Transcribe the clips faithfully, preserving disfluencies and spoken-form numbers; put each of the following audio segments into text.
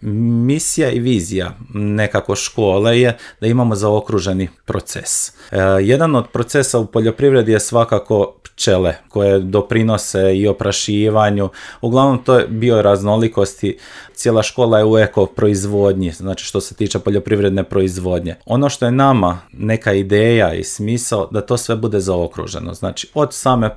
misija i vizija nekako škole je da imamo zaokruženi proces. E, jedan od procesa u poljoprivredi je svakako pčele koje doprinose i oprašivanju. Uglavnom to je bioraznolikosti. Cijela škola je u eko proizvodnji, znači što se tiče poljoprivredne proizvodnje. Ono što je nama neka ideja i smisao da to sve bude zaokruženo. Znači od same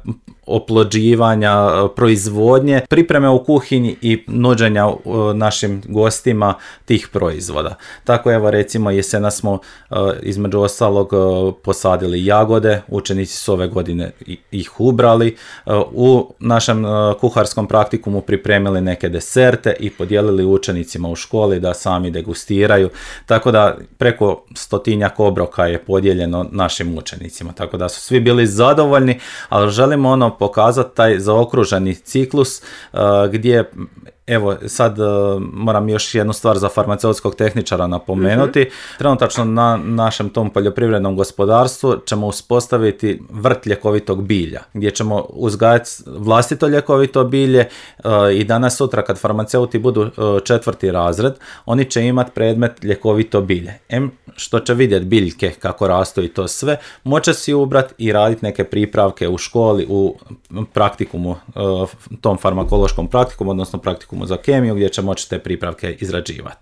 oplođivanja, proizvodnje, pripreme u kuhinji i nuđenja našim gostima tih proizvoda. Tako evo recimo jesena smo između ostalog posadili jagode, učenici su ove godine ih ubrali, u našem kuharskom praktikumu pripremili neke deserte i podijelili učenicima u školi da sami degustiraju, tako da preko stotinjak obroka je podijeljeno našim učenicima, tako da su svi bili zadovoljni, ali želimo ono pokazati taj zaokruženi ciklus uh, gdje evo, sad uh, moram još jednu stvar za farmaceutskog tehničara napomenuti. Mm-hmm. Trenutačno na našem tom poljoprivrednom gospodarstvu ćemo uspostaviti vrt ljekovitog bilja, gdje ćemo uzgajati vlastito ljekovito bilje uh, i danas sutra kad farmaceuti budu uh, četvrti razred, oni će imati predmet ljekovito bilje. Em što će vidjeti biljke kako rastu i to sve, moće si ubrati i raditi neke pripravke u školi, u praktikumu, uh, tom farmakološkom praktikumu, odnosno praktikumu za kemiju gdje će moći te pripravke izrađivati.